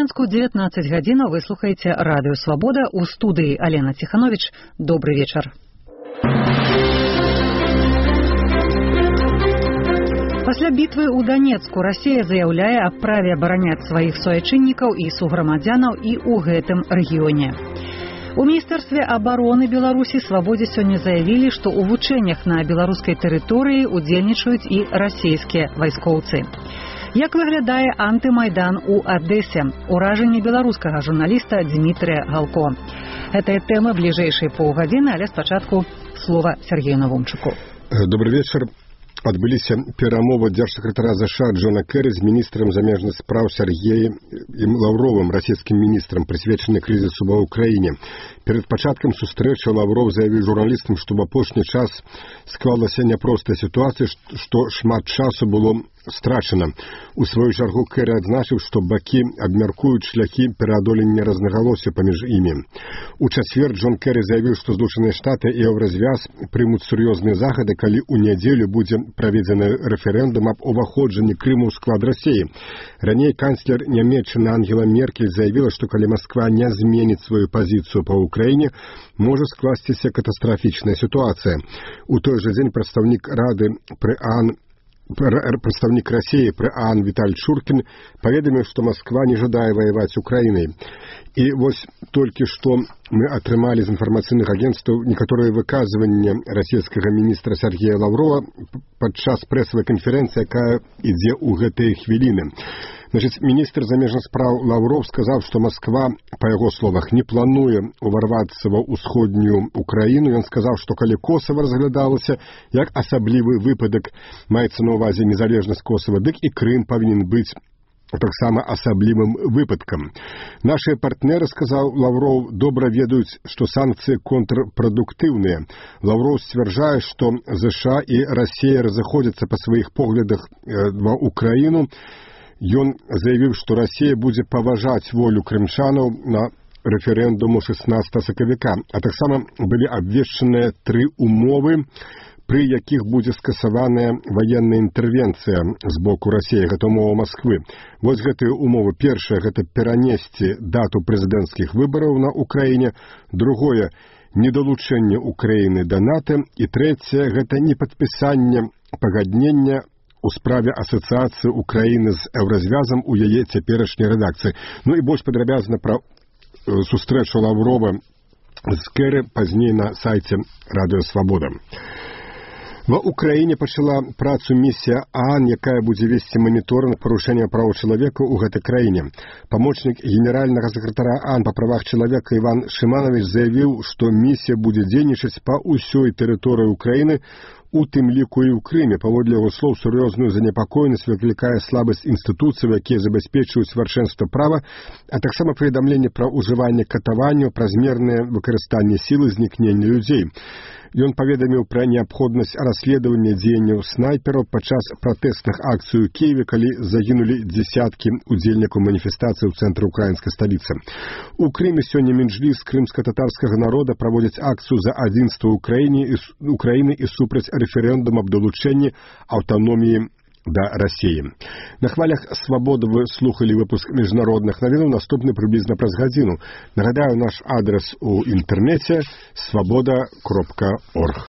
Мінску 19 гадзінаў вы слухаеце радыё Свабода. У студыі Алена Ціхановіч. Добры вечар. Пасля бітвы ў Данецку Расія заяўляе аб праве абараняць сваіх суайчыннікаў і суграмадзянаў і ў гэтым рэгіёне. У Міністэрстве абароны Беларусі Свабодзе сёння заявілі, што ў вучэннях на беларускай тэрыторыі удзельнічаюць і расійскія вайскоўцы. Як выглядае антымайдан у Адэсе? Уражанне беларускага журналіста Дмітрыя Галко. Гэтая тэма бліжэйшай паўгадзіны, але спачатку слова Сергею Навумчуку. Добрый вечер. Адбыліся перамовы дзяржсакратара ЗША Джона Керрі з міністрам замежных спраў Сергеем Лаўровым, расійскім міністрам, прысвечаны крызісу ва ўкраіне. Перад пачаткам сустрэчы Лаўров заявіў журналістам, што в апошні час склалася няпростая сітуацыя, што шмат часу было страчана. У сваю чаргу Керрі адзначыў, што бакі абмяркуюць шляхі пераадолення рознагалосся паміж імі. У чацвер Джон Керрі заявіў, што Злучаныя Штаты і Еўразвяз прымуць сур'ёзныя захады, калі ў нядзелю будзе праведзены рэферэндум аб уваходжанні Крыму ў склад Расіі. Раней канцлер Нямецчыны Ангела Меркель заявіла, што калі Масква не зменіць сваю пазіцыю па Украіне, можа скласціся катастрафічная сітуацыя. У той жа дзень прадстаўнік Расіі пры ААН Віталь Чуркін паведаміў, што Масква не жадае ваяваць Украінай. І вось толькі што мы атрымалі з інфармацыйных агенцтваў некаторыя выказванні расійскага міністра Сергея Лаўрова падчас прэсавай канферэнцыі, якая ідзе ў гэтыя хвіліны. Міністр замежных спраў Лаўров сказаў, што Масква, па яго словах, не плануе уварвацца ва ўсходнюю Украіну. Ён сказаў, што калі Косава разглядалася як асаблівы выпадак, маецца на ўвазе незалежнасць Косава, дык і Крым павінен быць таксама асаблівым выпадкам. Нашыя партнеры, сказаў Лаўров, добра ведаюць, што санкцыі контрпрадуктыўныя. Лаўров сцвярджае, што ЗША і Расія разыходзяцца па сваіх поглядах ва Украіну. Ён заявіў, што Расія будзе паважаць волю крымчанаў на рэферэндуму 16 сакавіка, а таксама былі абвешчаныя 3 умовы, пры якіх будзе скасаваная ваенная інтэрвенцыя з боку Расіі, гэта умова Масквы. Вось гэтыя умовы. Першая – гэта перанесці дату прэзідэнцкіх выбараў на Украіне. Другое – недалучэнне Украіны да НАТО. І трэцяе – гэта непадпісанне пагаднення у справе асацыяцыі Украіны з Еўразвязам у яе цяперашняй рэдакцыі. Ну і больш падрабязна пра сустрэчу Лаўрова з Керрі пазней на сайце Радыё Свабода. Ва Украіне пачала працу місія ААН, якая будзе весці маніторынг парушэння праў чалавека ў гэтай краіне. Памочнік генеральнага сакратара ААН па правах чалавека Іван Шыманович заявіў, што місія будзе дзейнічаць па ўсёй тэрыторыі Украіны, у тым ліку і ў Крыме. Паводле яго слоў, сур'ёзную занепакоенасць выклікае слабасць інстытуцый, якія забяспечваюць вяршэнства права, а таксама паведамленне пра ўжыванне катаванняў, празмернае выкарыстанне сілы, знікнення людзей. Ён паведаміў пра неабходнасць расследавання дзеянняў снайпераў падчас пратэсных акцый у Кіеве, калі загінулі дзесяткі удзельнікаў маніфестацыі ў цэнтры украінскай сталіцы. У Крыме сёння Меджліс крымска-татарскага народа праводзіць акцыю за адзінства Украіны і супраць рэферэндум аб далучэнні аўтаноміі да Расіі. На хвалях Свабоды вы слухали выпуск міжнародных навінаў, наступны прыблізна праз гадзіну. Нагадаю, наш адрес у інтэрнэце свабода.орг.